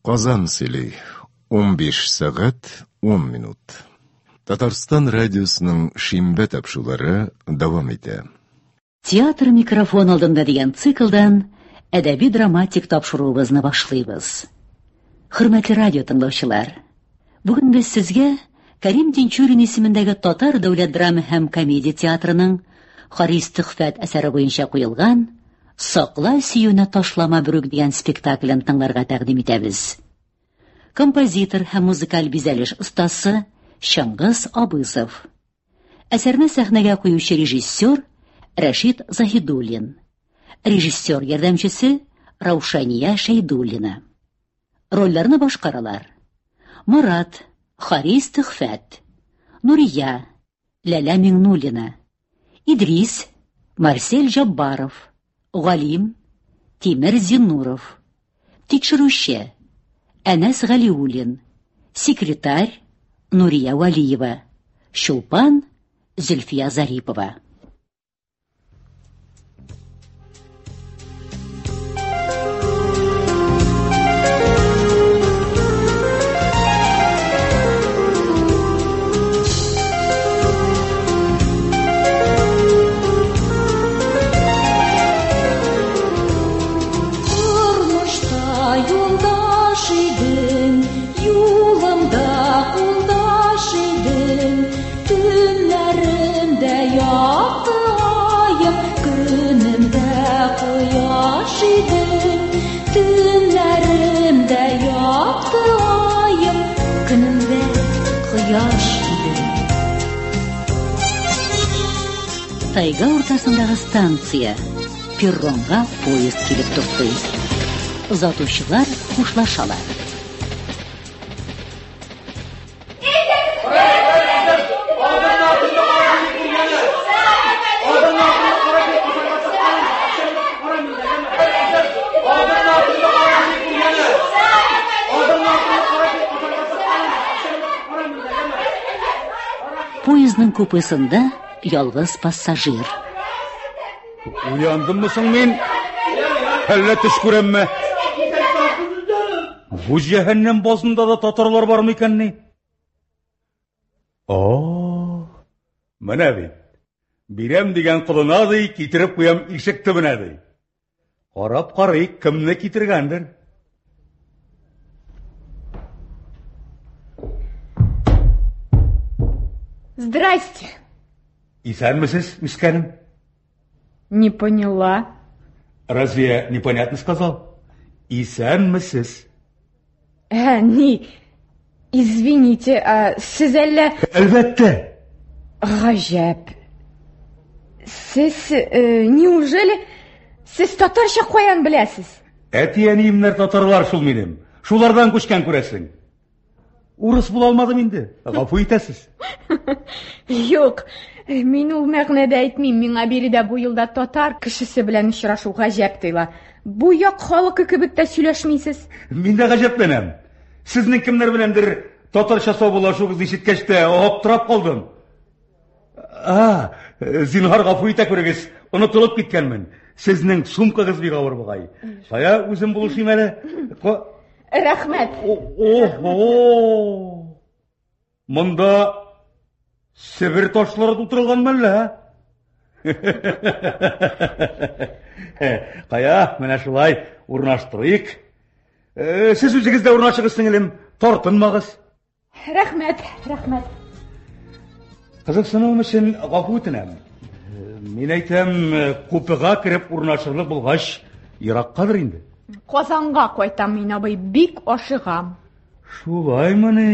Казан сөйли. 15 сәгать 10 минут. Татарстан радиосының шимбә тапшулары дәвам итә. Театр микрофон алдында дигән циклдан әдәби-драматик тапшыруыбызны башлыйбыз. Хөрмәтле радио тыңлаучылар, бүген без сезгә Кәрим Тинчурин исемендәге Татар дәүләт драма һәм комедия театрының Харис Төхфәт әсәре буенча куелган Сакла сөюне ташлама берүк дигән спектаклен тыңларга тәкъдим итәбез. Композитор һәм музыкаль бизәлеш остасы Чыңгыз Абызов. Әсәрне сәхнәгә куючы режиссер Рәшит Заһидуллин. Режиссер ярдәмчесе Раушания Шәйдуллина. Рольләрне башкаралар: Морат, Харис Төхфәт, Нурия, Ләлә Миңнуллина, Идрис, Марсель Җаббаров, Галим, Тимер Зиннуров, Тикшерүче, Әнәс Галиуллин, секретарь, Нурия Вәлиева, Чулпан, Зөлфия Зарипова. Тормышта юлдаш идең, юлымда кулдаш идең, төннәремдә якты аем, көнемдә кояш идең, төннәремдә якты аем, көнемдә кояш идең. Тайга уртасындагы станция. Перронга поезд килеп туктый. Озатучылар хушлашалар. Поездның купесында ялгыз пассажир. Уяндыммы соң мин? Әллә төш күрәмме? Бу җәһәннәм базында да татарлар бар микәнни? О, менә бит. Бирәм дигән колына ди, китереп куям ишек төбенә ди. Карап карыйк, кемне китергәндер. Здрасте. Исәнмесез, үскәнем? Не поняла. Разве я непонятно сказал? Исәнмесез. Ә, ни, извините, ә, сез әллә... Әлбәттә. Гаҗәп. Сез, э, неужели, сез татарча каян беләсез? Әти-әниемнәр татарлар шул минем. Шулардан күчкән күрәсең. Урыс була алмадым инде. Гафу итәсез. Юк, мин ул мәгънәдә әйтмим. Миңа биредә бу юлда татар кешесе белән очрашу гаҗәп тоела. Бу як халкы кебек тә сөйләшмисез. Мин дә гаҗәпләнәм. Сезнең кемнәр беләндер татарча саубуллашуыгызны ишеткәч тә аптырап калдым. А, зинһар гафу итә күрегез, онытылып киткәнмен. Сезнең сумкагыз бик авыр бугай. Кая үзем булышыйм әле. Рәхмәт. Ого! Монда Себер ташлары тутырылган мәллә? Кая, менә шулай урнаштырыйк. Э, сез үзегез дә урнашыгыз, сеңелем, тартынмагыз. Рәхмәт, рәхмәт. Кызыксынуым өчен гафу үтенәм. Мин әйтәм, купега кереп урнашырлык булгач, ераккадыр инде. Казанга кайтам мин, абый, бик ашыгам. Шулаймыни?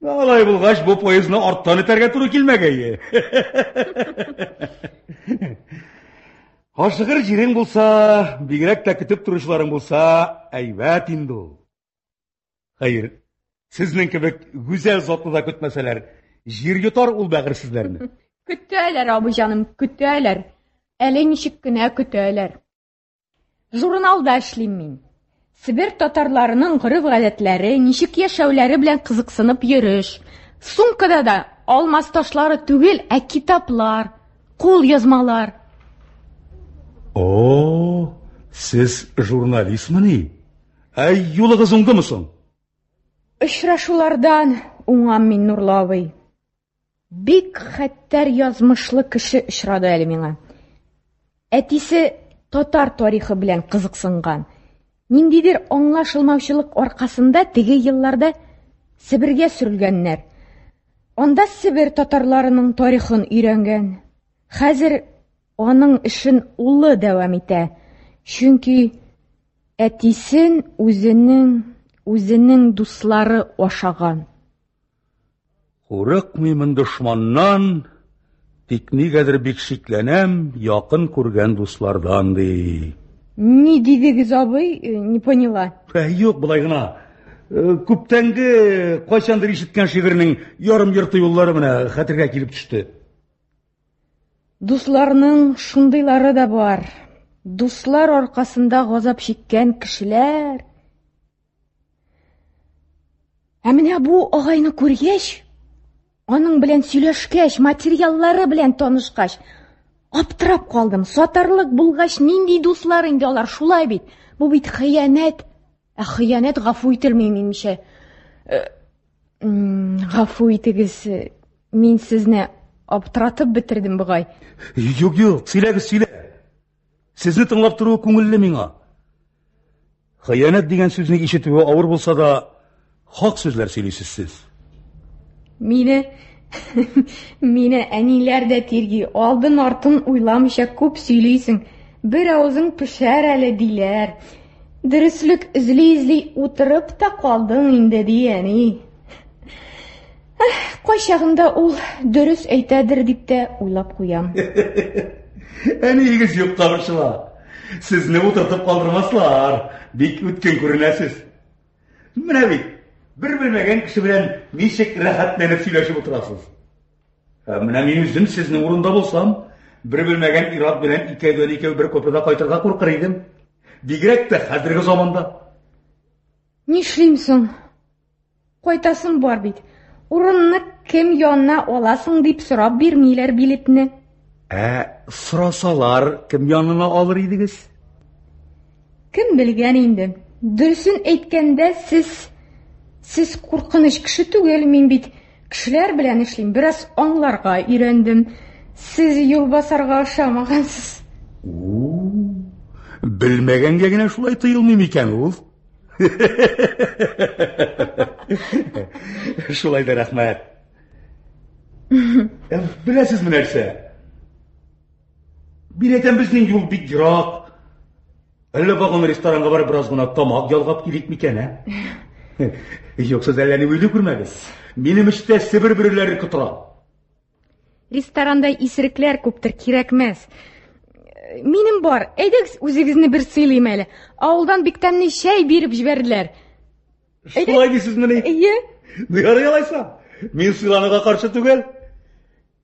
Алай булгач, бу поездны арттан этәргә туры килмәгәе. Ашыгыр җирең булса, бигрәк тә көтеп торучыларың булса, әйбәт инде ул. Хәер, сезнең кебек гүзәл затны да көтмәсәләр, җир йотар ул бәгырьсезләрне. Көтәләр, абый җаным, көтәләр. Әле ничек кенә көтәләр. Журналда эшлим мин. Себер татарларының гореф-гадәтләре, ничек яшәүләре белән кызыксынып йөреш. Сумкада да алмаз ташлары түгел, ә китаплар, кул язмалар. О, сез журналистмыни? Ә юлыгыз уңдымы соң? Очрашулардан уңам мин, Нурлы абый. Бик хәттәр язмышлы кеше очрады әле миңа. Әтисе татар тарихы белән кызыксынган. Ниндидер аңлашылмаучылык аркасында теге елларда Себергә сөрелгәннәр. Анда Себер татарларының тарихын өйрәнгән. Хәзер аның эшен улы дәвам итә. Чөнки әтисен үзенең үзенең дуслары ашаган. Курыкмыймын дошманнан, тик нигәдер бик шикләнәм якын күргән дуслардан, ди. Ни дидегез, абый? Э, не поняла. Ә, юк, болай гына. Э, күптәнге кайчандыр ишеткән шигырьнең ярым-йорты юллары менә хәтергә килеп төште. Дусларның шундыйлары да бар. Дуслар аркасында газап чиккән кешеләр. Ә менә бу агайны күргәч, аның белән сөйләшкәч, материаллары белән танышкач, аптырап калдым. Сатарлык булгач, нинди дуслар инде алар, шулай бит. Бу бит хыянәт. Ә хыянәт гафу ителми, минемчә. Э, гафу итегез, мин сезне аптыратып бетердем бугай. Юк, юк, сөйләгез, сөйлә. Сезне тыңлап торуы күңелле миңа. Хыянәт дигән сүзне ишетүе авыр булса да, хак сүзләр сөйлисез сез. Мине мине әниләр дә тирги, алдын артын уйламыйча күп сөйлисең. Бер авызың пешәр әле диләр. Дөреслек эзли-эзли утырып та калдың инде, ди әни. Кайчагында ул дөрес әйтәдер дип тә уйлап куям. Әниегез юкка борчыла. Сезне утыртып калдырмаслар. Бик үткен күренәсез. Менә бит, бер белмәгән кеше белән ничек рәхәтләнеп сөйләшеп утырасыз. Ә менә мин үзем сезнең урында булсам, бер белмәгән ир-ат белән икәүдән-икәү бер купеда кайтырга куркыр идем. Бигрәк тә хәзерге заманда. Нишлим соң? Кайтасым бар бит. Урынны кем янына аласың дип сорап бирмиләр билетны. Ә сорасалар, кем янына алыр идегез? Кем белгән инде. Дөресен әйткәндә, сез сез куркыныч кеше түгел, мин бит кешеләр белән эшлим, бераз аңларга өйрәндем. Сез юлбасарга ошамагансыз. Белмәгәнгә генә шулай тоелмый микән ул? Шулай да рәхмәт. Э, беләсезме нәрсә? Мин әйтәм, безнең юл бик ерак. Әллә вагон ресторанга барып бераз гына тамак ялгап килик микән, ә? Юк, сез әллә ни уйлый күрмәгез. Минем эчтә Себер бөреләре котыра. Ресторанда исерекләр күптер, кирәкмәс. Минем бар, әйдәгез үзегезне бер сыйлыйм әле. Авылдан бик тәмле чәй биреп җибәрделәр. Шулай дисезмени? Әйе. Ну ярый алайса. Мин сыйлануга каршы түгел.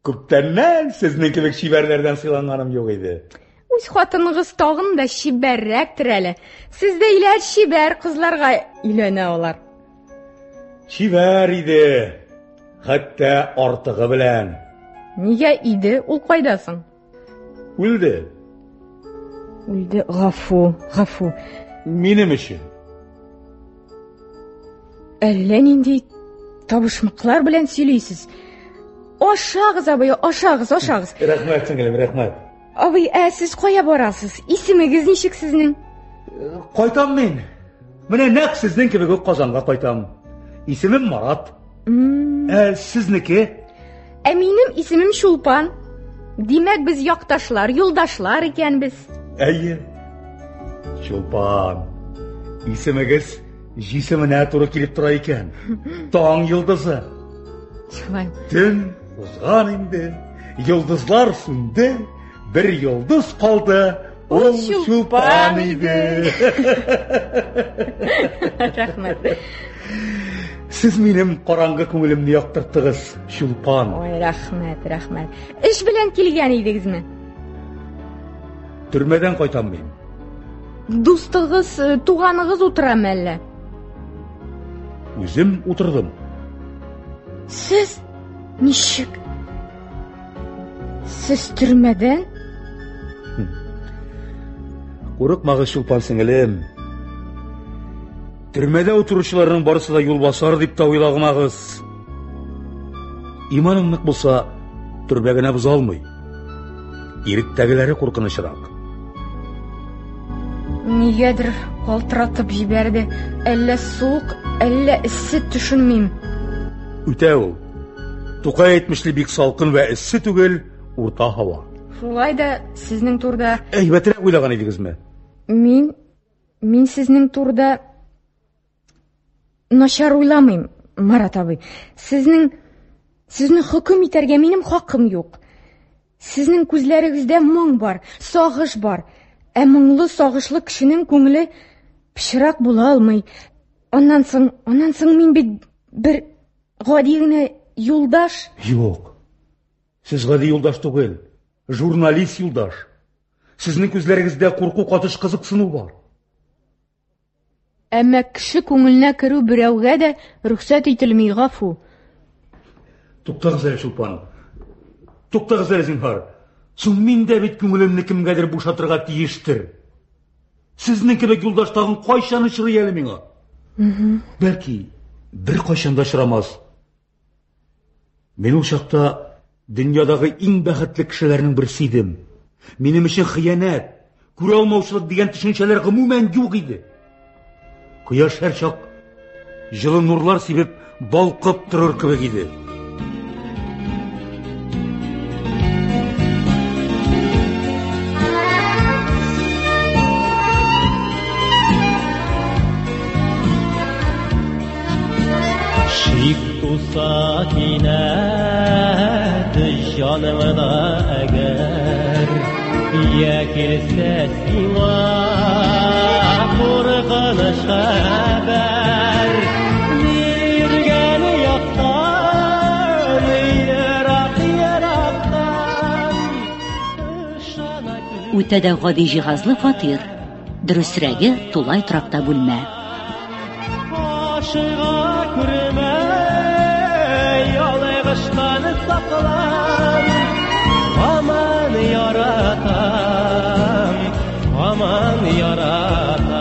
Күптәннән сезнең кебек чибәрләрдән сыйланганым юк иде. Үз хатыныгыз тагын да чибәррәктер әле. Сездәйләр чибәр кызларга өйләнә алар. Чибәр иде. Хәтта артыгы белән. Нигә иде? Ул кайда соң? Үлде. Үлде. Гафу, гафу. Минем өчен. Әллә нинди табышмаклар белән сөйлисез. Ашагыз, абый, ашагыз, ашагыз. Рәхмәт, сеңелем, рәхмәт. Абый, ә сез кая барасыз? Исемегез ничек сезнең? Кайтам мин. Менә нәкъ сезнең кебек үк Казанга кайтам. Исемем Марат. Ә сезнеке? Ә минем исемем Чулпан. Димәк, без якташлар, юлдашлар икәнбез. Әйе. Чулпан. Исемегез җисеменә туры килеп тора икән. Таң йолдызы. Шулай. Төн узган инде. Йолдызлар сүнде. Бер йолдыз калды. Ул Чулпан иде. Рәхмәт. Сез минем караңгы күңелемне яктырттыгыз, Чулпан. Ой, рәхмәт, рәхмәт. Эш белән килгән идегезме? Төрмәдән кайтам мин. Дустыгыз, э, туганыгыз утырамы әллә? Үзем утырдым. Сез ничек? Сез төрмәдән? Курыкмагыз, Чулпан сеңелем. Төрмәдә утыручыларның барысы да юлбасар дип тә уйлагмагыз. Иманың нык булса, төрмә генә боза алмый. Иректәгеләре куркынычрак. Нигәдер калтыратып җибәрде. Әллә суык, әллә эссе төшенмим. Үтә ул. Тукай әйтмешли бик салкын вә эссе түгел, урта һава. Шулай да сезнең турыда Әйбәтрәк уйлаган идегезме? Мин мин сезнең турыда начар уйламыйм, Марат абый. Сезнең сезне хөкем итәргә минем хакым юк. Сезнең күзләрегездә моң бар, сагыш бар. Ә моңлы, сагышлы кешенең күңеле пычрак була алмый. Аннан соң, аннан соң мин бит бер гади генә юлдаш. Юк. Сез гади юлдаш түгел, журналист юлдаш. Сезнең күзләрегездә курку катыш кызыксыну бар. Әмма кеше күңеленә керү берәүгә дә рөхсәт ителми, гафу. Туктагыз әле, Чулпан. Туктагыз әле, зинһар. Соң мин дә бит күңелемне кемгәдер бушатырга тиештер. Сезнең кебек юлдаш тагын кайчан очрый әле миңа? Бәлки, бер кайчан да очрамас. Мин ул чакта дөньядагы иң бәхетле кешеләрнең берсе идем. Минем өчен хыянәт, күрә алмаучылык дигән төшенчәләр гомумән юк иде. Кояш һәрчак җылы нурлар сибеп балкып торыр кебек иде. Шик туса кинәт җаныңда әгәр, я килсә сиңа куркыныч хәбәр, биргән яктан, ерак ерактан ышана күр. Үтә дә гади җиһазлы фатир. Дөресрәге, тулай торакта бүлмә. Ашыга күрмә, ялгыштан саклан. Аман яратам, аман яратам.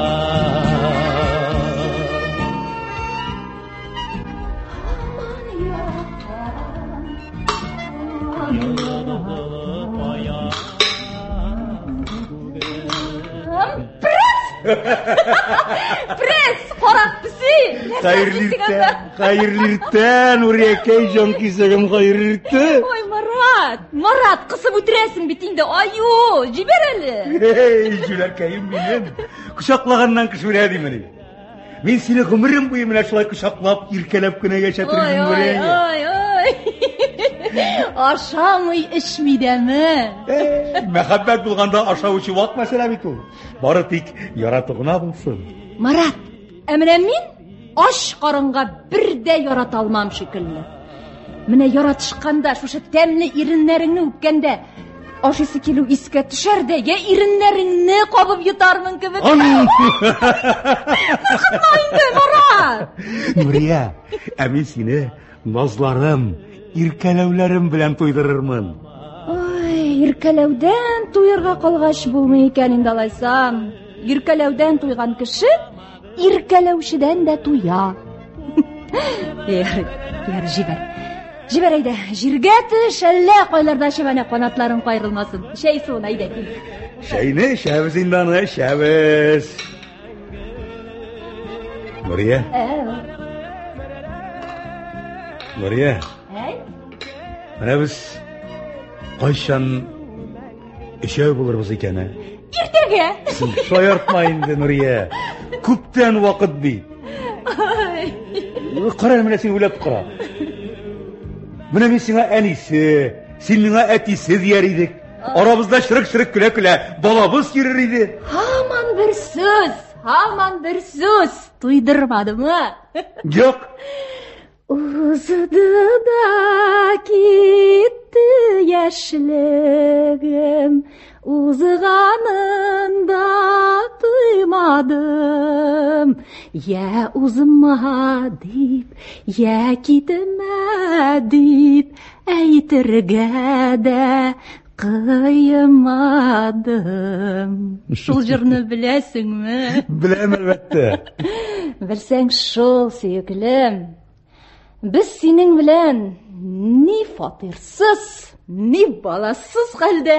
Пресс, карак песи! Хәерле иртә, хәерле иртә, Нуриякәй җан кисәгем, хәерле иртә. Ой, Марат, Марат, кысып үтерәсең бит инде, аю, җибәр әле. Эй, җүләркәем минем. Кочаклаганнан кеше үлә димени. Мин сине гомерем буе менә шулай кочаклап, иркәләп кенә яшәтер Ой, идем, ой, Нурия. ой, ой. Ашамый, эчми дәме. Эй, мәхәббәт булганда ашау эчү вак мәсьәлә бит ул. Бары тик ярату гына булсын. Марат, ә менә мин ач карынга бер дә ярата алмам шикелле. Менә яратышканда, шушы тәмле иреннәреңне үпкәндә, ашыйсы килү искә төшәр дә, я иреннәреңне кабып йотармын кебек. Ан! Куркытма инде, Марат! Нурия, ә мин сине назларым, иркәләүләрем белән туйдырырмын. Ой, иркәләүдән туерга калгач булмый икән инде алайсам. Иркәләүдән туйган кеше иркәләүчедән дә туя. Ярый, ярый, җибәр. Җибәр әйдә, җиргә төш, әллә кайларда чәбәнә канатларың каерылмасын. Чәй суын әйдә кил. Чәйне эчәбез инде аны, эчәбез. Нурия, Нурия, Әй, менә без кайчан өчәү булырбыз икән, ә? иртәгә. Син шаяртма инде, Нурия. Күптән вакыт бит. Ай. Кара әле, менә син уйлап кара. Менә мин сиңа әнисе, син миңа әтисе дияр идек. Арабызда чырык-чырык көлә-көлә балабыз йөрер иде. Һаман бер сүз, һаман бер сүз. Туйдырмадымы? Юк. Узды да китте яшьлегем, узганын да тоймадым. Я узма дип, я китмә дип, әйтергә дә кыймадым. Шул җырны беләсеңме? Беләм әлбәттә. Белсәң шул, сөеклем. Без синең белән ни фатирсыз, ни баласыз хәлдә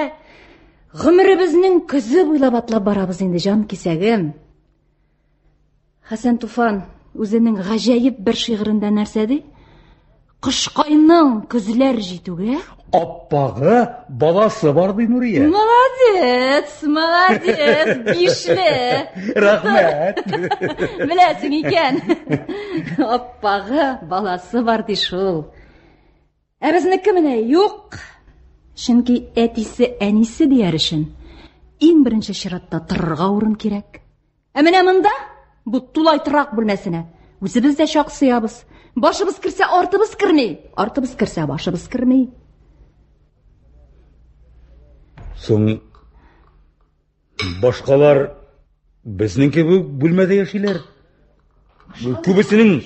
гомеребезнең көзе буйлап атлап барабыз инде, җан кисәгем. Хәсән Туфан үзенең гаҗәеп бер шигырендә нәрсә ди? Кышкайның көзләр җитүгә Аппагы баласы бар ди Нурия. Молодец, молодец, бишле. Рәхмәт. Беләсең икән. Аппагы баласы бар ди шул. Ә безнеке менә юк. Чөнки әтисе әнисе дияр өчен иң беренче чиратта торырга урын кирәк. Ә менә монда, бу тулай торак бүлмәсенә, үзебез дә чак сыябыз. Башыбыз керсә, артыбыз керми. Артыбыз керсә, башыбыз керми. Соң башкалар безнең кебек бүлмәдә яшиләр. Күбесенең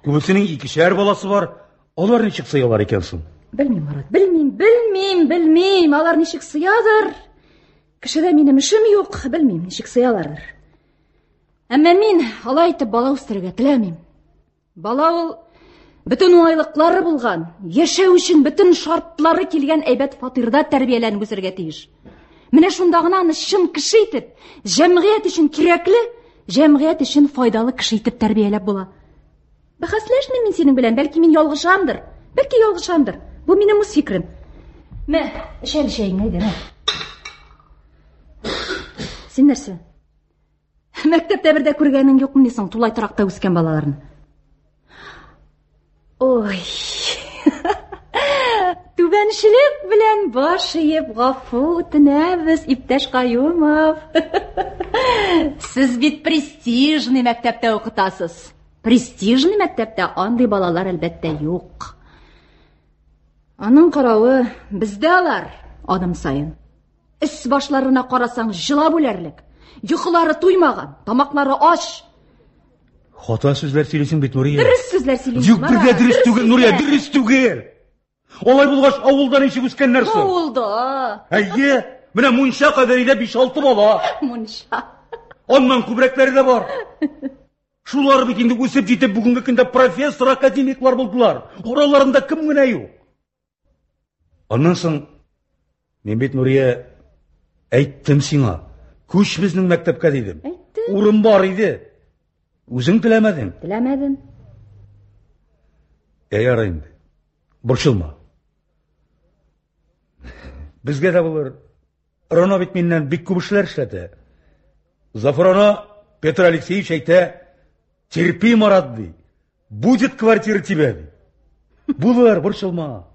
күбесенең икешәр баласы бар. Алар ничек сыялар икән соң? Белмим, Марат, белмим, белмим, белмим. Алар ничек сыядыр? Кешедә минем эшем юк, белмим, ничек сыялардыр. Әмма мин алай итеп бала үстерергә теләмим. Бала ул бөтен уңайлыклары булган, яшәү өчен бөтен шартлары килгән әйбәт фатирда тәрбияләнеп үсәргә тиеш. Менә шунда гына аны чын кеше итеп, җәмгыять өчен кирәкле, җәмгыять өчен файдалы кеше итеп тәрбияләп була. Бәхәсләшмим мин синең белән, бәлки мин ялгышамдыр. Бәлки ялгышамдыр. Бу минем үз фикерем. Мә, эч әле чәеңне, әйдә, мә. Син нәрсә? Мәктәптә бер дә күргәнең юкмыни соң тулай торакта үскән балаларны? Ой. Түбәнчелек белән баш иеп гафу үтенәбез, иптәш Каюмов. Сез бит престижный мәктәптә укытасыз. Престижный мәктәптә андый балалар әлбәттә юк. Аның каравы бездә алар адым саен. Эс башларына карасаң, җылап үләрлек. Йокылары туймаган, тамаклары ач. Хата сүзләр сөйлисең бит, Нурия. Дөрес сүзләр сөйлим. Юк, бер дә дөрес түгел, Нурия, дөрес түгел. Алай булгач, авылда ничек үскәннәр соң? Авылда. Әйе, менә мунча кадәр өйдә 5-6 бала. Мунча. Аннан күбрәкләре дә бар. Шулар бит инде үсеп җитеп бүгенге көндә профессор, академиклар булдылар. Араларында кем генә юк. Аннан соң мин бит Нурия әйттем сиңа, күч безнең мәктәпкә дидем. Әйттем. Урын бар иде. Үзең теләмәдең. Теләмәдем. Ә ярый инде. Борчылма. Безгә дә булыр. Рона бит миннән бик күп эшләр эшләтә. Зафарона Петр Алексеевич әйтә, терпи, Марат, ди. Будет квартира тебе, ди. Булыр, борчылма.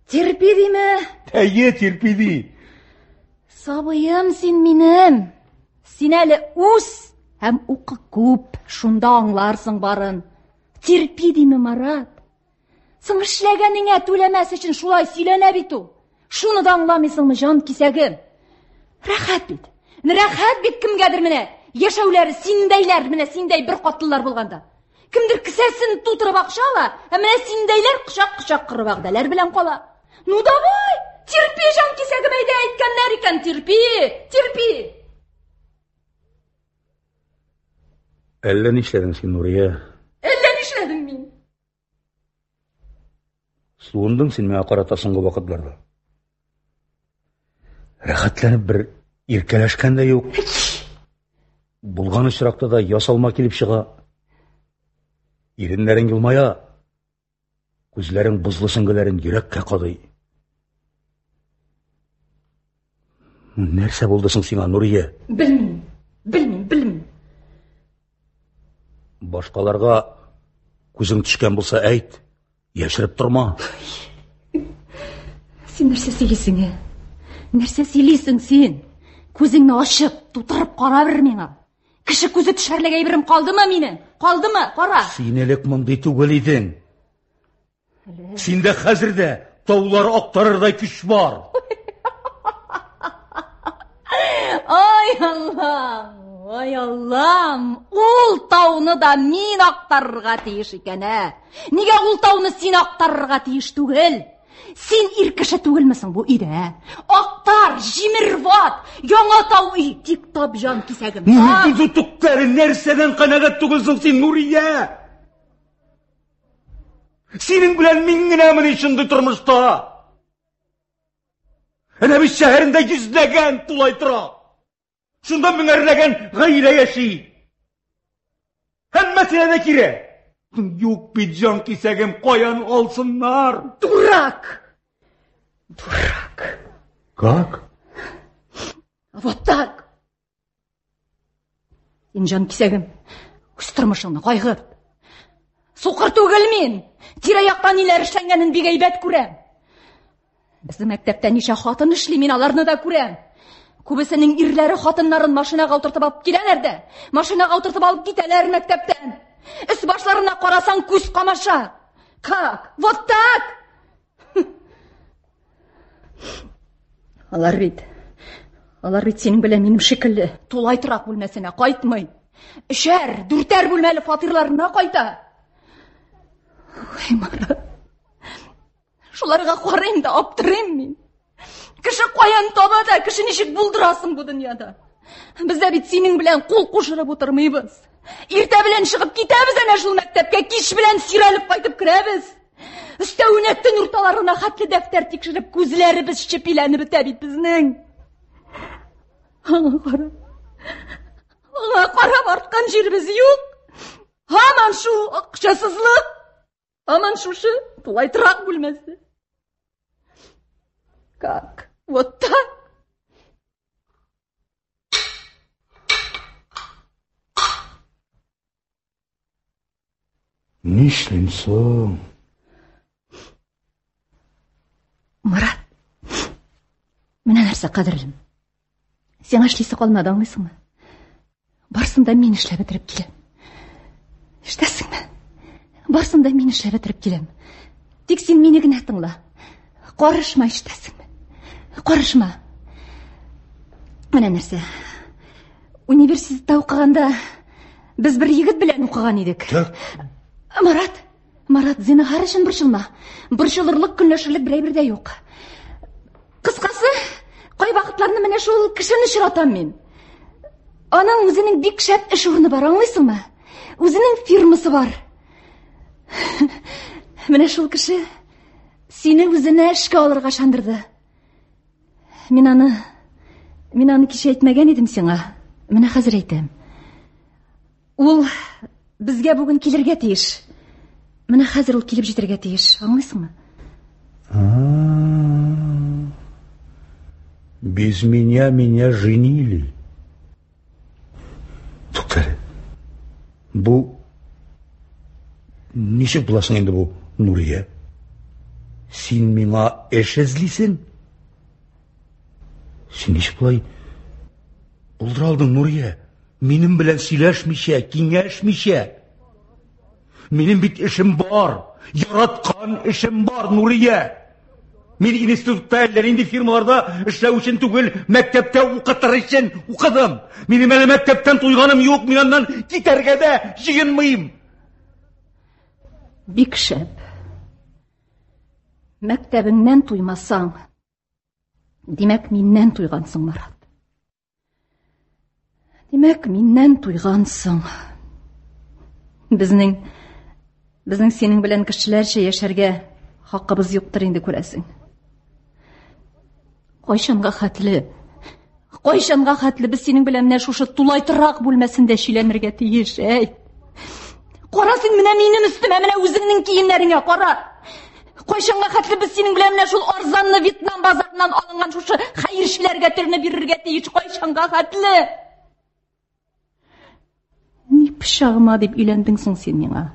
Терпи диме? Әйе, терпи ди. Сабыем син минем. Син әле үс һәм укы күп, шунда аңларсың барын. Терпи диме, Марат? Соң эшләгәнеңә түләмәс өчен шулай сөйләнә бит ул. Шуны да аңламыйсыңмы, җан кисәгем? Рәхәт бит. Рәхәт бит кемгәдер менә. Яшәүләре синдәйләр, менә синдәй бер катлылар булганда. Кемдер кесәсен тутырып акча ала, ә менә синдәйләр кочак-кочак коры вәгъдәләр белән кала. Ну давай, терпи, җан кисәгем, әйдә әйткәннәр икән, терпи, терпи. Әллә нишләдең син, Нурия? Әллә нишләдем мин? Суындың син миңа карата соңгы вакытларда. Рәхәтләнеп бер иркәләшкән дә юк. Булган очракта да ясалма килеп чыга. Иреннәрең елмая, күзләрең бозлы сөңгеләрен йөрәккә кадый. Нәрсә булды соң сиңа, Нурия? Белмим, белмим, белмим. Башкаларга күзең төшкән булса әйт, яшереп торма. Син нәрсә сөйлисең, ә? Нәрсә сөйлисең син? Күзеңне ачып, тутырып кара бер миңа. Кеше күзе төшәрлек әйберем калдымы минем? Калдымы? Кара. Син элек мондый түгел идең. Синдә хәзер дә таулар актарырдай көч бар. Ай Аллам, ай Аллам, ул тауны да мин актарырга тиеш икән, ә? Нигә ул тауны син актарырга тиеш түгел? Син ир кеше түгелме соң бу өйдә? ә? Актар, җимер, ват, яңа тау өй, тик тап җан кисәгем. Тап. Тукта әле, нәрсәдән канәгать түгелсең син, Нурия? Синең белән мин генәмени шундый тормышта? Әнә бит шәһәрендә йөзләгән тулай тора. Шунда меңәрләгән гаилә яши. Һәммәсенә дә кирәк. Юк бит җан кисәгем, каян алсыннар? Дурак! Дурак! Как? Вот так! Син җан кисәгем, үз тормышыңны кайгырт. Сукыр түгел мин. Тирә-якта ниләр эшләнгәнен бик әйбәт күрәм. Безнең мәктәптә ничә хатын эшли, мин аларны да күрәм. Күбесенең ирләре хатыннарын машинага утыртып алып киләләр дә, машинага утыртып алып китәләр мәктәптән. Өс башларына карасаң, күз камаша. Как? Вот так! Алар бит, алар бит синең белән минем шикелле тулай торак бүлмәсенә кайтмый. Өчәр, дүртәр бүлмәле фатирларына кайта. Ой, Марат. Шуларга карыйм да аптырыйм мин. Кеше каян таба да, кеше ничек булдырасың бу дөньяда? Без дә бит синең белән кул кушырып утырмыйбыз. Иртә белән чыгып китәбез әнә шул мәктәпкә, кич белән сөйрәлеп кайтып керәбез. Өстәвенә төн урталарына хәтле дәфтәр тикшереп, күзләребез чепиләнеп бетә бит безнең. Аңа карап, аңа карап арткан җиребез юк. Һаман шул акчасызлык, һаман шушы тулай торак бүлмәсе. Как? Вот так? Нишлим соң? Марат, менә нәрсә, кадерлем. Сиңа эшлисе калмады, аңлыйсыңмы? Барсын да мин эшләп бетереп киләм. Ишетәсеңме? Барсын да мин эшләп бетереп киләм. Тик син мине генә тыңла. Карышма, ишетәсеңме? Карышма. Менә нәрсә. Университетта укыганда без бер егет белән укыган идек. Так. Марат, Марат, зинһар өчен борчылма. Борчылырлык, көнләшерлек бер әйбер дә юк. Кыскасы, кай вакытларны менә шул кешене очратам мин. Аның үзенең бик шәп эш урыны бар, аңлыйсыңмы? Үзенең фирмасы бар. Менә шул кеше сине үзенә эшкә алырга ышандырды. Мин аны мин аны кичә әйтмәгән идем сиңа. Менә хәзер әйтәм. Ул безгә бүген килергә тиеш. Менә хәзер ул килеп җитәргә тиеш, аңлыйсыңмы? Без меня меня женили. Туктале. Бу ничек буласың инде бу, Нурия? Син миңа эш эзлисең? Син ничек болай булдыра алдың, Нурия? Минем белән сөйләшмичә, киңәшмичә. Минем бит эшем бар, яраткан эшем бар, Нурия. Мин институтта әллә нинди фирмаларда эшләү өчен түгел, мәктәптә укытыр өчен укыдым. Минем әле мәктәптән туйганым юк, мин аннан китәргә дә җыенмыйм. Бик шәп. Мәктәбеңнән туймасаң, димәк, миннән туйгансың, Марат. Димәк, миннән туйгансың. Безнең безнең синең белән кешеләрчә яшәргә хакыбыз юктыр инде, күрәсең. Кайчанга хәтле? Кайчанга хәтле без синең белән менә шушы тулай торак бүлмәсендә чиләнергә тиеш, әй? Кара син менә минем өстемә, менә үзеңнең киемнәреңә кара. Кайчанга хәтле без синең белән менә шул арзанлы Вьетнам базарыннан алынган шушы хәерчеләргә төрне бирергә тиеш? Кайчанга хәтле? Ни пычагыма дип өйләндең соң син миңа?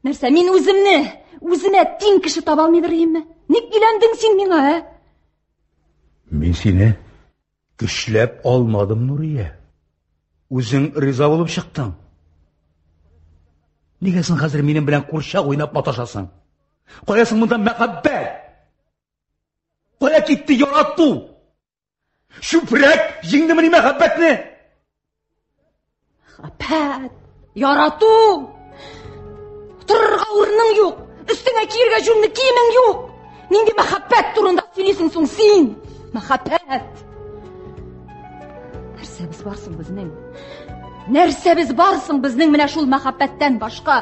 Нәрсә, мин үземне, үземә тиң кеше таба алмыйдыр идемме? Ник өйләндең син миңа, ә? Мин сине көчләп алмадым, Нурия. Үзең риза булып чыктың. Нигә син хәзер минем белән курчак уйнап маташасың? Кая соң монда мәхәббәт? Кая китте ярату? Чүпрәк җиңдемени мәхәббәтне? Мәхәббәт, ярату. Торырга урының юк, өстеңә киергә җүнле киемең юк. Нинди мәхәббәт турында сөйлисең соң син? Мәхәббәт! Нәрсәбез бар соң безнең? Нәрсәбез бар соң безнең менә шул мәхәббәттән башка?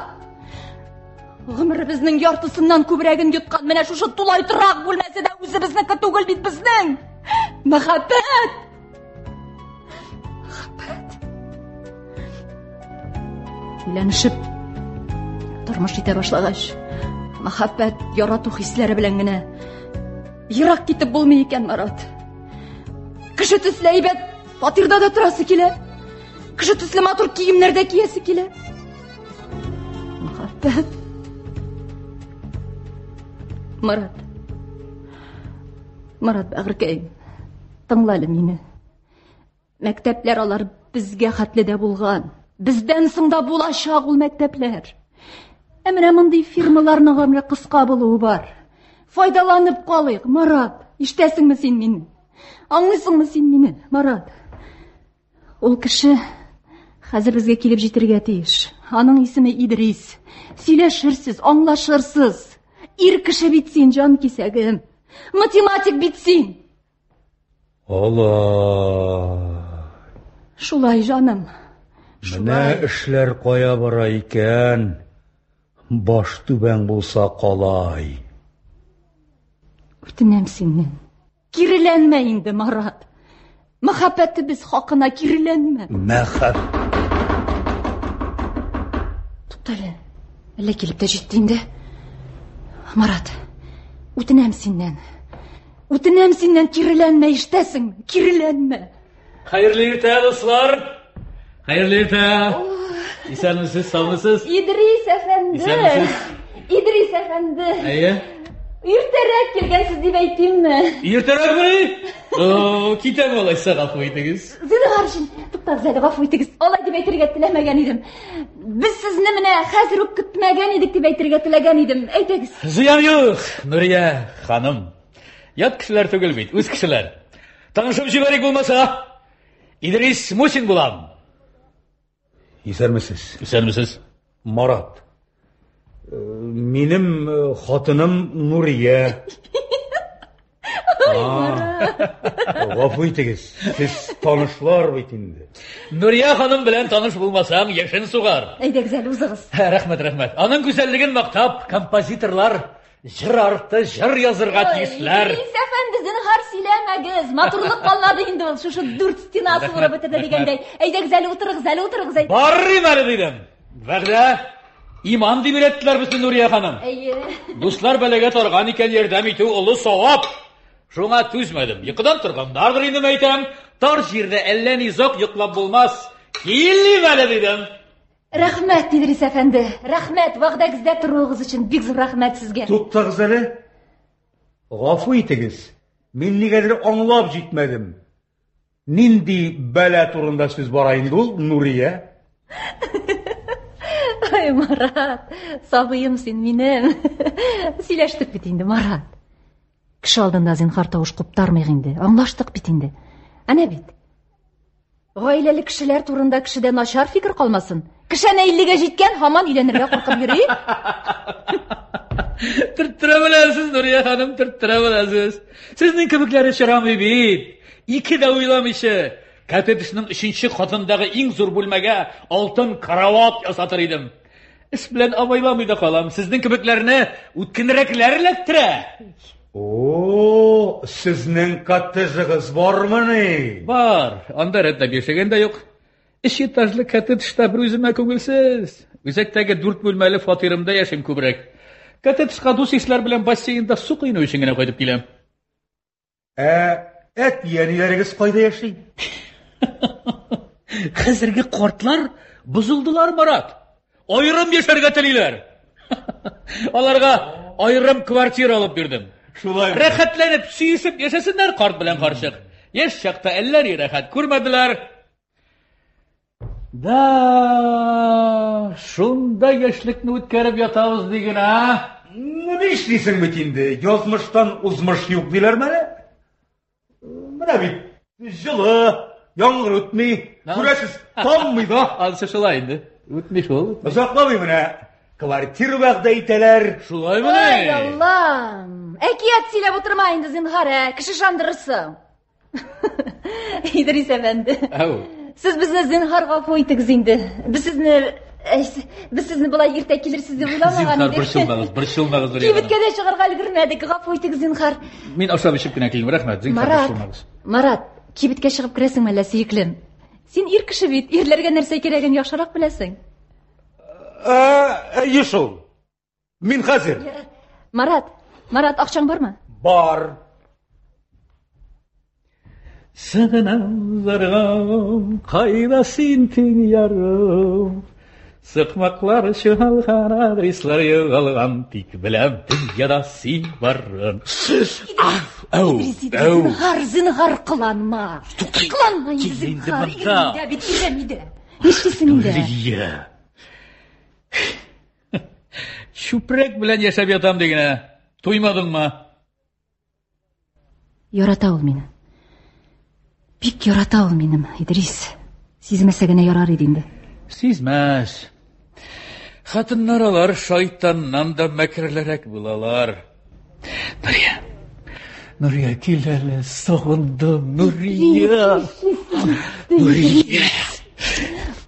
Гомеребезнең яртысыннан күбрәген йоткан менә шушы тулай торак бүлмәсе дә үзебезнеке түгел бит безнең. Мәхәббәт! Мәхәббәт. Өйләнешеп тормыш итә башлагач, мәхәббәт, ярату хисләре белән генә ерак китеп булмый икән, Марат. Кеше төсле әйбәт фатирда да торасы килә. Кеше төсле матур киемнәр дә киясе килә. Мәхәббәт. Марат. Марат бәгырькәем, тыңла әле мине. Мәктәпләр алар безгә хәтле дә булган. Бездән соң да булачак ул мәктәпләр. Ә менә мондый фирмаларның гомере кыска булуы бар. Файдаланып калыйк, Марат. Ишетәсеңме син мине? Аңлыйсыңмы син мине, Марат? Ул кеше хәзер безгә килеп җитәргә тиеш. Аның исеме Идрис. Сөйләшерсез, аңлашырсыз. Ир кеше бит син, җан кисәгем. Математик бит син. Алай. Шулай, җаным. Менә эшләр кая бара икән. Баш түбәң булса калай. Үтенәм синнән. Киреләнмә инде, Марат. Мәхәббәтебез хакына киреләнмә. Мәхәб. Туктале. Әллә килеп тә җитте инде. Марат, үтенәм синнән. Үтенәм синнән, киреләнмә, ишетәсеңме? Киреләнмә. Хәерле иртә, дуслар. Хәерле иртә. Исәнмесез, саумысыз? Идрис әфәнде. Исәнмесез. Идрис әфәнде. Әйе. Иртәрәк килгәнсез дип әйтимме? Иртәрәкмени? О, китәм алайса, гафу итегез. Зинһар өчен, туктагыз әле, гафу итегез. Алай дип әйтергә теләмәгән идем. Без сезне менә хәзер үк көтмәгән идек дип әйтергә теләгән идем. Әйтегез. Зыян юк, Нурия ханым. Ят кешеләр түгел бит, үз кешеләр. Танышып җибәрик булмаса. Идрис Мусин булам. Исәнмесез. Исәнмесез. Марат. Э, минем э, хатыным Нурия. Гафу итегез, сез танышлар бит инде. Нурия ханым белән таныш булмасаң, яшен сугар. Әйдәгез әле узыгыз. Рәхмәт, рәхмәт. Аның гүзәллеген мактап, композиторлар җыр арты җыр язырга тиешләр. Идрис әфәнде, зинһар сөйләмәгез. Матурлык калмады инде ул. Шушы дүрт стена суырып бетерде дигәндәй. Әйдәгез әле утырыгыз, әле утырыгыз. Барыйм әле дидем. Вәгъдә, иман дип өйрәттеләр безне Нурия ханым. Әйе. Дуслар бәлагә тарган икән, ярдәм итү олы савап. Шуңа түзмәдем. Йокыдан торганнардыр инде мәйтәм. Тар җирдә әллә ни озак йоклап булмас. Килим әле дидем. Рәхмәт, Идрис әфәнде. Рәхмәт, вәгъдәгездә торуыгыз өчен бик зур рәхмәт сезгә. Туктагыз әле. Гафу итегез. Мин нигәдер аңлап җитмәдем. Нинди бәла турында сүз бара инде ул, Нурия? Ай, Марат, сабыем син минем. Сөйләштек бит инде, Марат. Кеше алдында зинһар тавыш куптармыйк инде. Аңлаштык бит инде. Әнә бит. Гаиләле кешеләр турында кешедә начар фикер калмасын. Кеше әнә 50-гә җиткән, һаман өйләнергә куркып йөри. Төрттерә беләсез, Нурия ханым, төрттерә беләсез. Сезнең кебекләре чырамый бит. Ике дә уйламыйча, коттеджның өченче катындагы иң зур бүлмәгә алтын карават ясатыр идем. Эш белән абайламый да калам. Сезнең кебекләрне үткенрәкләр эләктерә. О, сезнең коттеджыгыз бармыни? Бар. Анда рәтләп яшәгән дә юк. Өч этажлы коттеджда бер үземә күңелсез. Үзәктәге дүрт бүлмәле фатирымда яшим күбрәк. Коттеджга дус-ишләр белән бассейнда су коену өчен генә кайтып киләм. Ә әти-әниләрегез кайда яши? Хәзерге картлар бозылдылар, Марат. Аерым яшәргә телиләр. Аларга аерым квартира алып бирдем. Шулай. Рәхәтләнеп, сөешеп яшәсеннәр карт белән карчык. Яшь чакта әллә ни рәхәт күрмәделәр. Да, шунда яшьлекне үткәреп ятабыз диген, а? Ну, нишлисең бит инде, язмыштан узмыш юк диләрме әле? Менә бит, җылы, яңгыр үтми, күрәсез, таммый да. Анысы шулай инде. Үтми шул. Озакламый менә квартира вәгъдә итәләр. Шулаймыни? Ай, Аллам! Әкият сөйләп утырма инде, зинһар, ә, кеше ышандырырсың. Идрис әфәнде. Әү. Сез безне зинһар гафу итегез инде. Без сезне без сезне болай иртә килерсез дип уйламаган Зинһар, борчылмагыз, борчылмагыз, Нурия ханым. Кибеткә дә чыгарга өлгермәдек. Гафу итегез, зинһар. Мин ашап эчеп кенә килдем, рәхмәт, зинһар, Марат, борчылмагыз. Марат, кибеткә чыгып керәсеңме әллә, сөеклем? Син ир кеше бит, ирләргә нәрсә кирәген яхшырак беләсең. Ә, әйе шул. Мин хәзер. Марат, Марат, акчаң бармы? Бар. Сагынам, зарыгам, кайда син тиң ярым? Сыкмаклар чуалган, адреслар югалган, тик беләм дөньяда син барын. Әү, Идрис, Идрис, әү. зинһар, зинһар кыланма. Туктай, Кыланма инде, кил инде зинһар. монда. Ирем өйдә бит, ирем өйдә. Нишлисең инде? Нурия. Чүпрәк белән яшәп ятам дигенә. Туймадыңмы? Ярата ул мине. Бик ярата ул минем, Идрис. Сизмәсә генә ярар иде инде. Сизмәс. Хатыннар алар шайтаннан да мәкерлерәк булалар. Нурия. Нурия, кил әле, сагындым, Нурия. Нурия.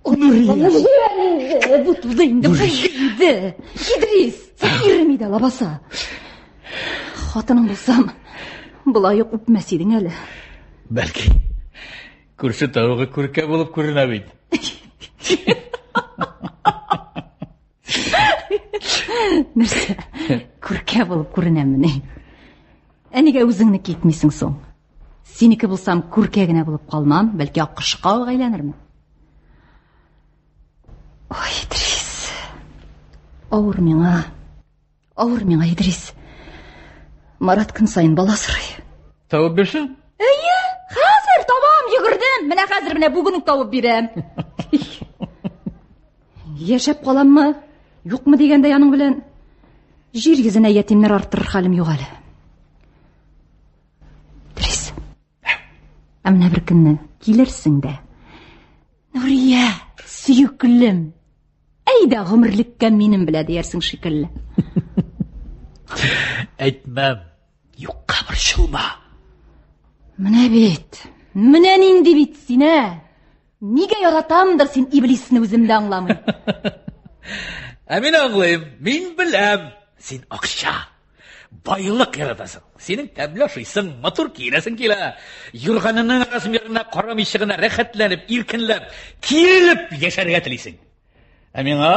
Нурия. Җибәр инде, бу туды инде, булды инде. Идрис, син ирем иде лабаса. Хатының булсам, болай ук үпмәс идең әле. Бәлки, күрше тавыгы күркә булып күренә бит. Нәрсә, күркә булып күренәмени? Ә нигә үзеңне китмисең соң? Синеке булсам, күркә генә булып калмам, бәлки аккошка ук әйләнермен. Ой, Идрис. Авыр миңа. Авыр миңа, Идрис. Марат көн саен бала сорый. Табып бирсен. Әйе, хәзер табам, йөгердем. Менә хәзер, менә бүген үк табып бирәм. Яшәп каламмы, юкмы дигәндә аның белән җир йөзенә ятимнәр арттырыр хәлем юк әле. Идрис. Ә менә бер көнне килерсең дә. Нурия, сөеклем. Әйдә гомерлеккә минем белә диярсең шикелле. Әйтмәм. Юкка борчылма. Менә бит. Менә нинди бит син, ә? Нигә яратамдыр син иблисне үзем дә аңламыйм. Ә мин аңлыйм, мин беләм. Син акча, байлык яратасың. Синең тәмле ашыйсың, матур киенәсең килә. Юрганының размерына карамыйча гына рәхәтләнеп, иркенләп, киелеп яшәргә телисең. Ә миңа,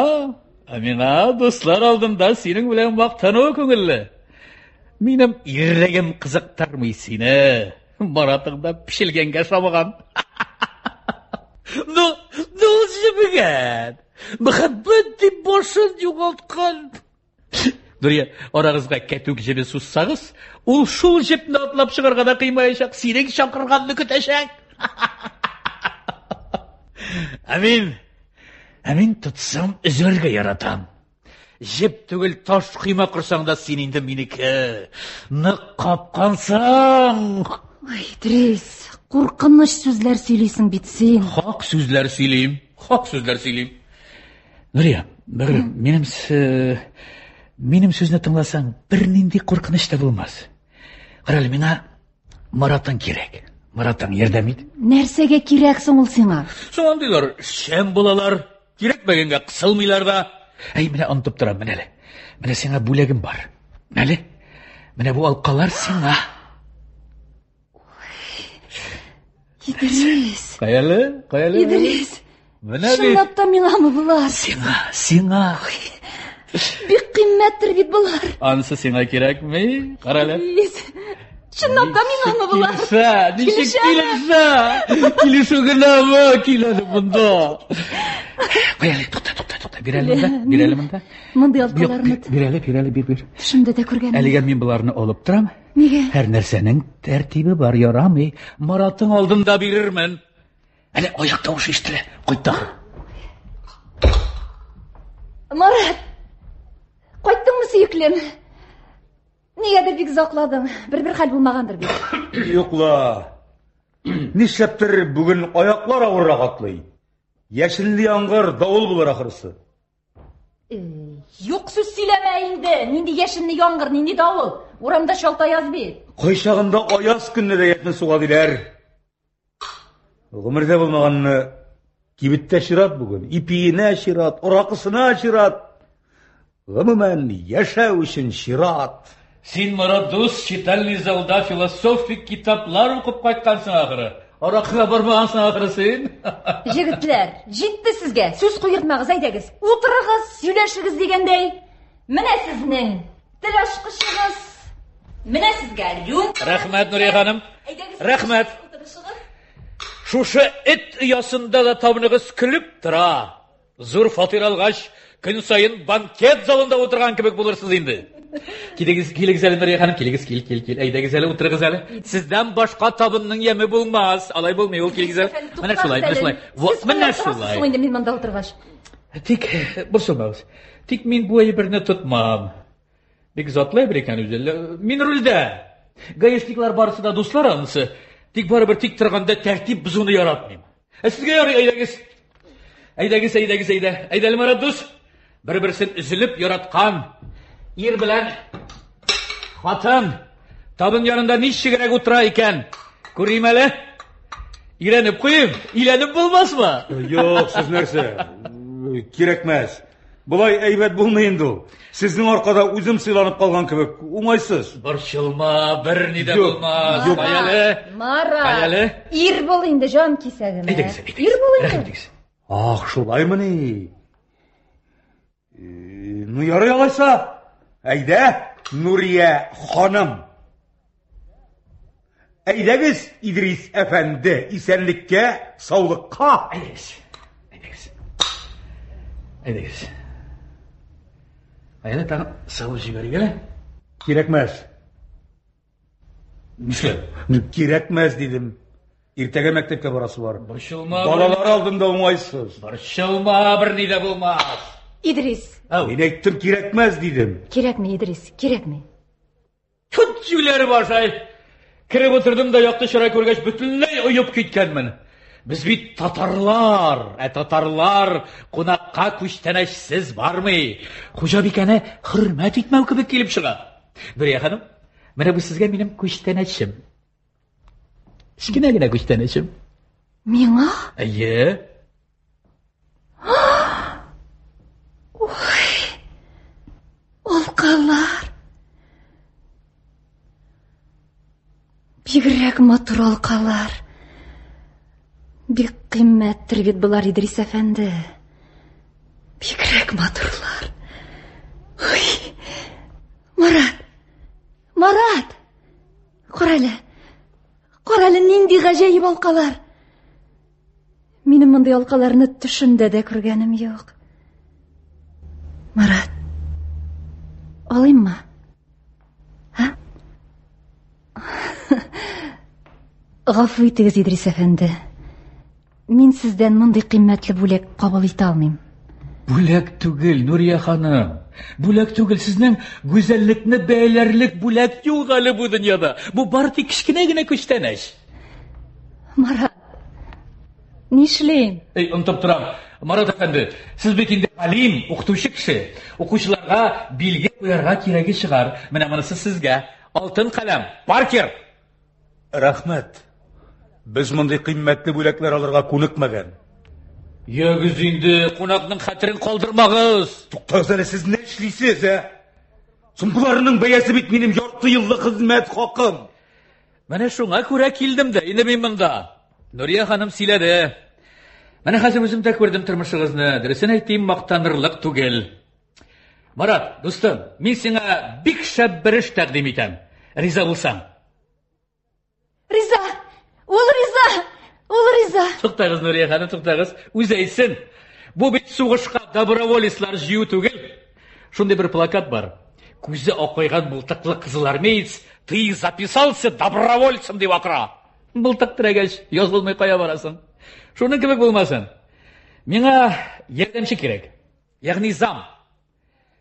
ә миңа дуслар алдында синең белән мактану күңелле. Минем ирлегем кызыктырмый сине. Маратың да пешелгәнгә шамаган. Ну, ну ул җебегән. Мәхәббәт дип башын югалткан. Нурия, арагызга кәтүк җебе сузсагыз, ул шул җепне атлап чыгарга да кыймаячак, синең чакырганны көтәчәк. Ә мин, ә мин тотсам өзәргә яратам. Җеп түгел, таш койма корсаң да син инде минеке. Нык капкансың. Ой, Идрис, куркыныч сүзләр сөйлисең бит син. Хак сүзләр сөйлим, хак сүзләр сөйлим. Нурия, бәгырем, минем минем сүзне тыңласаң, бернинди куркыныч та булмас. Кара әле, миңа Маратың кирәк. Маратың ярдәм ит. Нәрсәгә кирәк соң ул сиңа? Соң андыйлар шәм булалар, кирәкмәгәнгә кысылмыйлар да. Әй, менә онытып торам, менә әле. Менә сиңа бүләгем бар. Менә әле. Менә бу алкалар сиңа. Идрис. Кая әле? Кая әле? Идрис. Менә бит. Чынлап та миңамы болар? Сиңа, сиңа. Бик кыйммәттер бит болар. Анысы сиңа кирәкми. Кара әле. Идрис. Чынлап та миңамы болар? Килешә, ничек Килешәме? килешә? Килешү генәме? Кил әле монда. Куй әле, тукта, тукта, тукта. Бир әле монда, бир әле монда. Мондый Юк, алкаларны бир әле, бир әле, бир, бир. төшемдә дә күргәнем. Әлегә мин боларны алып торам. Нигә? Һәр нәрсәнең тәртибе бар, ярамый. Маратың алдында бирермен. Әле аяк тавышы ишетелә. Кайт тагы. Марат! Кайттыңмы, сөеклем? Нигәдер бик озакладың. Бер-бер хәл булмагандыр бит. Юк ла. Нишләптер бүген аяклар авыррак атлый. Яшенле яңгыр, давыл булыр ахрысы. Юк сүз сөйләмә инде. Нинди яшенле яңгыр, нинди давыл. Урамда чалт аяз бит. Кайчагында аяз көнне дә яшен суга диләр. Гомердә булмаганны кибеттә чират бүген. Ипиенә чират, аракысына чират. Гомумән, яшәү өчен чират. Син, Марат дус, читальный залда философик китаплар укып кайткансың ахыры. Аракыга бармагансың ахыры син. Җегетләр, җитте сезгә. Сүз куертмагыз, әйдәгез. Утырыгыз, сөйләшегез дигәндәй. Менә сезнең тел ачкычыгыз. Менә сезгә рюмка. Рәхмәт, Нурия ханым. Әйдәгез, Рәхмәт. Утырышыгыз. Шушы эт оясында да табыныгыз көлеп тора. Зур фатир алгач, көн саен банкет залында утырган кебек булырсыз инде. Килегез, килегез әле, Нурия ханым, килегез, кил, кил, кил. Әйдәгез әле, утырыгыз әле. Сездән башка табынның яме булмас. Алай булмый ул, килегез әле. Менә шулай, менә шулай. Вот, менә шулай. Соң инде мин монда утыргач. Тик борчылмагыз. Тик мин бу әйберне тотмам. Бик затлы әйбер икән үзе. Мин рульдә. Гаишниклар барысы да дуслар анысы. Тик барыбер тик торганда тәртип бозуны яратмыйм. Ә сезгә ярый, әйдәгез. Әйдәгез, әйдәгез, әйдә. Әйдә әле, Марат дус. Бер-берсен өзелеп яраткан ир белән хатын табын янында ничегрәк утыра икән? Күрим әле. Өйрәнеп куйыйм. Өйләнеп булмасмы? Юк, сез нәрсә? Кирәкмәс. Болай әйбәт булмый инде ул. Сезнең аркада үзем сыйланып калган кебек, уңайсыз. Борчылма, берни дә Юк, булмас. юк. Кая әле? Марат. Кая әле? Ир бул инде, җан кисәгем. ә? Әйдәгез, әйдәгез. Ир бул Рәхим инде. итегез. Ах, шулаймыни? Ну, ярый алайса. Әйдә, Нурия ханым. Әйдәгез, Идрис әфәнде, исәнлеккә, саулыкка. Әйдәгез. Әйдәгез. Әйдәгез. Әйдә, тагын савып җибәрик әле. Кирәкмәс. Нишләп? Ну, кирәкмәс дидем. Иртәгә мәктәпкә барасы бар. Борчылма. Балалар алдында уңайсыз. Борчылма, берни дә булмас. Идрис. Ау. Мин әйттем, кирәкмәс дидем. Кирәкми, Идрис, кирәкми. Тут җүләр башай. Кереп утырдым да якты чырай күргәч бөтенләй оеп киткәнмен. Без бит татарлар, ә татарлар кунакка күчтәнәчсез бармый. Хуҗабикәне хөрмәт итмәү кебек килеп чыга. Нурия ханым, менә бу сезгә минем күчтәнәчем. Кечкенә генә күчтәнәчем. Миңа? Әйе. Ой. Алкалар. Бигрәк матур алкалар. Бик кыйммәттер бит болар, Идрис әфәнде. Бигрәк матурлар. Ой. Марат. Марат. Кара әле. Кара әле, нинди гаҗәеп алкалар. Минем мондый алкаларны төшемдә дә күргәнем юк. Марат. Алыйммы? Һа? Гафу итегез, Идрис әфәнде. Мин сездән мондый кыйммәтле бүләк кабул итә алмыйм. Бүләк түгел, Нурия ханым. Бүләк түгел, сезнең гүзәллекне бәяләрлек бүләк юк әле бу дөньяда. Бу бары тик кечкенә генә күчтәнәч. Марат, нишлим? Эй, онытып торам. Марат әфәнде, сез бит инде галим, укытучы кеше. Укучыларга билге куярга кирәге чыгар. Менә монысы сезгә. Алтын каләм, Паркер. Рәхмәт. Без мондый кыйммәтле бүләкләр алырга күнекмәгән. Ягез инде, кунакның хәтерен калдырмагыз. Туктагыз әле, сез нишлисез, ә? Соң боларның бәясе бит минем ярты еллык хезмәт хакым. Менә шуңа күрә килдем дә, инде мин монда. Нурия ханым сөйләде. Менә хәзер үзем дә күрдем тормышыгызны. Дөресен әйтим, мактанырлык түгел. Марат, дустым, мин сиңа бик шәп бер эш тәкъдим итәм. Риза булсаң. Риза! Ул риза! Ул риза! Туктагыз, Нурия ханым, туктагыз. Үзе әйтсен. Бу бит сугышка доброволецлар җыю түгел. Шундый бер плакат бар. Күзе акайган мылтыклы кызылармеец, ты записался добровольцем дип акыра. Мылтык терәгәч, язылмый кая барасың? Шуның кебек булмасын. Миңа ярдәмче кирәк. Ягъни зам.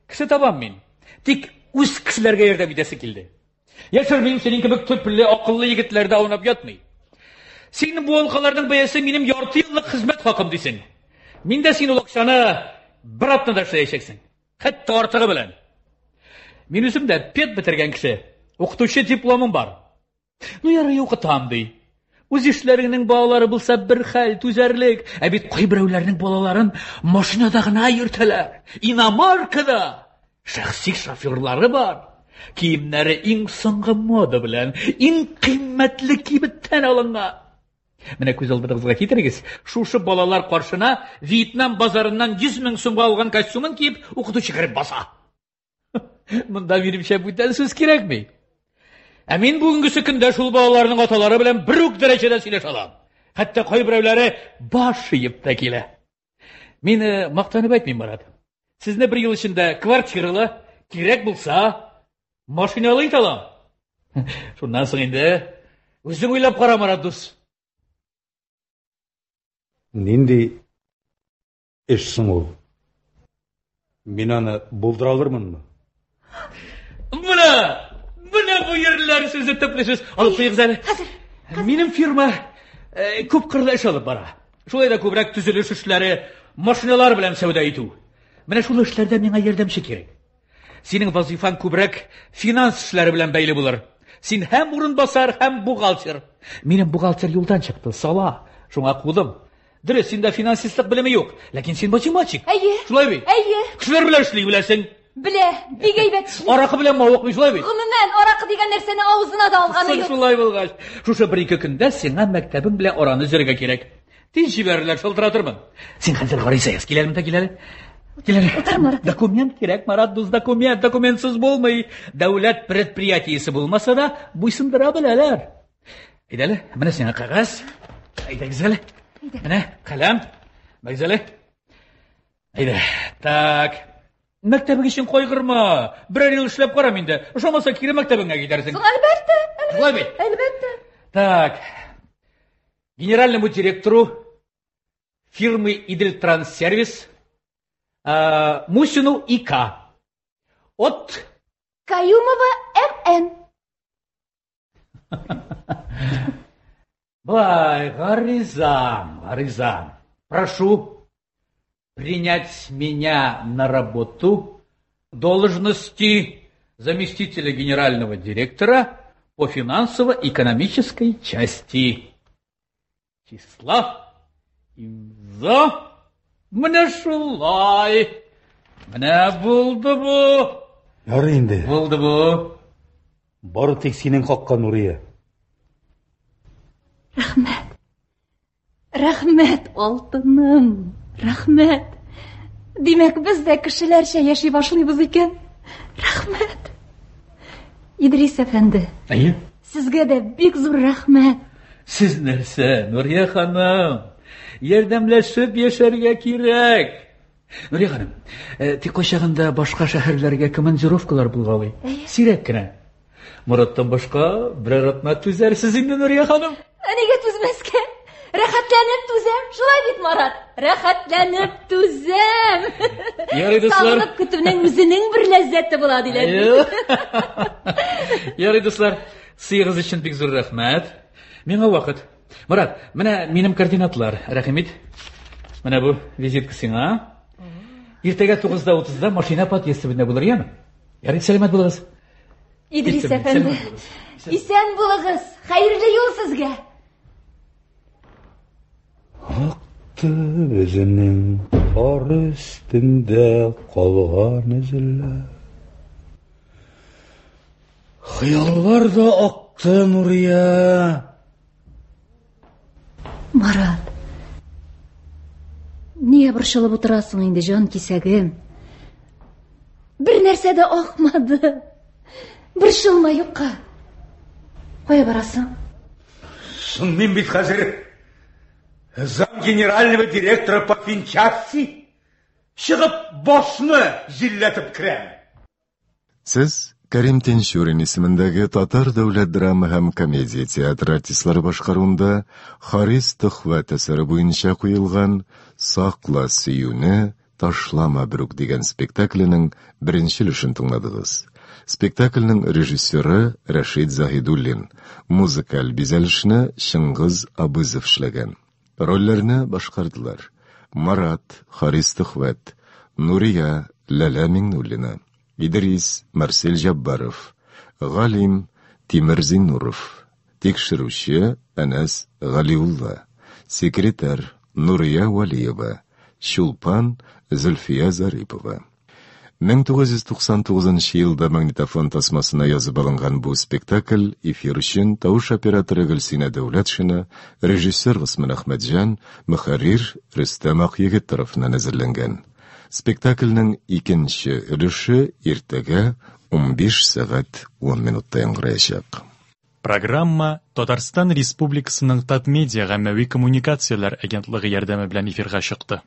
Кеше табам мин. Тик үз кешеләргә ярдәм итәсе килде. Яшермим, синең кебек төпле, акыллы егетләр дә аунап ятмый. Син бу алкаларның бәясе минем ярты еллык хезмәт хакым дисең. Мин дә син ул акчаны бер атнада эшләячәксең. Хәтта артыгы белән. Мин үзем дә пед бетергән кеше. Укытучы дипломым бар. Ну ярый укытам ди. Үз ишләреңнең балалары булса бер хәл, түзәрлек. Ә бит кайберәүләрнең балаларын машинада гына йөртәләр. Иномаркада. Шәхси шоферлары бар. Киемнәре иң соңгы мода белән, иң кыйммәтле кибеттән алынган. Менә күз алдыгызга китерегез, шушы балалар каршына Вьетнам базарыннан 100 мең сумга алган костюмын киеп, укытучы кереп баса. Монда минемчә бүтән сүз кирәкми. Ә мин бүгенгесе көндә шул балаларның аталары белән бер үк дәрәҗәдә сөйләшә алам. Хәтта кайберәүләре баш иеп тә килә. Мин э, мактанып әйтмим, Марат. Сезне бер ел эчендә квартиралы, кирәк булса, машиналы итә алам. Шуннан соң инде үзең уйлап кара, Марат дус. Нинди эш соң ул? Мин аны булдыра алырмынмы? Менә, менә бу ерләр сүзе төпле сүз. Алып куегыз әле. Хәзер. Минем фирма э, күп кырлы эш алып бара. Шулай да күбрәк төзелеш эшләре, машиналар белән сәүдә итү. Менә шул эшләрдә миңа ярдәмче кирәк. Синең вазифаң күбрәк финанс эшләре белән бәйле булыр. Син һәм урынбасар, һәм бухгалтер. Минем бухгалтер юлдан чыкты, сала. Шуңа кудым. Дөрес, синдә финансистлык белеме юк, ләкин син математик. Әйе. Шулай бит? Әйе. Кешеләр белән эшли беләсең. Белә, бик әйбәт эшли. Аракы белән мавыкмый, шулай бит? Гомумән, аракы дигән нәрсәне авызына да алганы Соң юк. шулай булгач, шушы бер-ике көндә сиңа мәктәбең белән араны өзәргә кирәк. Тиз җибәрерләр, шылтыратырмын. Син хәзер гариза яз. Кил әле монда, кил әле. Кил әле. Утыр, Марат. Документ кирәк, Марат дус, документ. Документсыз булмый. Дәүләт предприятиесе булмаса да, буйсындыра беләләр. Әйдә әле, менә сиңа кәгазь. Әйдәгез әле. Менә каләм. Бәгез әле. Әйдә. Так. Мәктәбең өчен кайгырма. Берәр ел эшләп карам инде. Ошамаса кире мәктәбеңә китәрсең. Соң әлбәттә, Шулай бит? әлбәттә. Так. Генеральному директору фирмы Идельтранссервис э, Мусину ИК. От Каюмова МН. Былай, гариза, гариза. Прошу принять меня на работу должности заместителя генерального директора по финансово-экономической части. Числа имза менә шулай. Менә булды бу. Ярый инде. Булды бу. Бары тик синең хакка, Нурия. Рәхмәт. Рәхмәт, алтыным. Рәхмәт. Димәк, без дә кешеләрчә яши башлыйбыз икән. Рәхмәт. Идрис әфәнде, Әйе. сезгә дә бик зур рәхмәт. Сез нәрсә, Нурия ханым? Ярдәмләшеп яшәргә кирәк. Нурия ханым, э, тик кайчагында башка шәһәрләргә командировкалар булгалый. Сирәк кенә. Мораттан башка берәр атна түзәрсез инде, Нурия ханым. Ә нигә түзмәскә? Рәхәтләнеп түзәм. Шулай бит, Марат? Рәхәтләнеп түзәм. Ярый, дуслар. Сагынып көтүнең үзенең бер ләззәте була диләр. бит. Ярый, дуслар, сыегыз өчен бик зур рәхмәт. Миңа вакыт. Морат, менә минем координатлар. Рәхим ит. Менә бу визитка сиңа. Иртәгә 9:30-да машина подъезд төбендә булыр, яме? Ярый, сәламәт булыгыз. Идрис Киттем, әфәнде. сәламәт булыгыз. Исән булыгыз. Хәерле юл сезгә. Акты безнең кар өстендә калган эзләр. Хыяллар да акты, Нурия. Марат. Нигә борчылып утырасың инде, җан кисәгем? Бер нәрсә дә акмады. Борчылма юкка. Кая барасың? Соң мин бит хәзер зам генерального директора по финчасти чыгып башны җилләтеп керәм. Сез Кәрим Тинчурин исемендәге Татар дәүләт драма һәм комедия театры артистлары башкаруында Харис Төхвәт әсәре буенча куелган Сакла сөюне, ташлама берүк дигән спектакленең беренче өлешен тыңладыгыз. Спектакльнең режиссеры Рәшит Заһидуллин, музыкаль бизәлешне Чыңгыз Абызов эшләгән. Рольләрне башкардылар: Марат, Харис Төхвәт, Нурия, Ләлә Миңнуллина, Идрис, Марсель Җаббаров, Галим, Тимер Зиннуров, тикшерүче Әнәс Галиулла, секретарь Нурия Вәлиева, Чулпан Зөлфия Зарипова. 1999 елда магнитофон тасмасына язып алынган бу спектакль эфир өчен тавыш операторы Гөлсинә Дәүләтшина, режиссер Госман Әхмәтҗан, мөхәррир Рөстәм Акъегет тарафыннан әзерләнгән. Спектакльнең икенче өлеше иртәгә 15 сәгать 10 минутта яңгыраячак. Программа Татарстан Республикасының Татмедиа гаммәви коммуникацияләр агентлыгы ярдәме белән эфирга чыкты.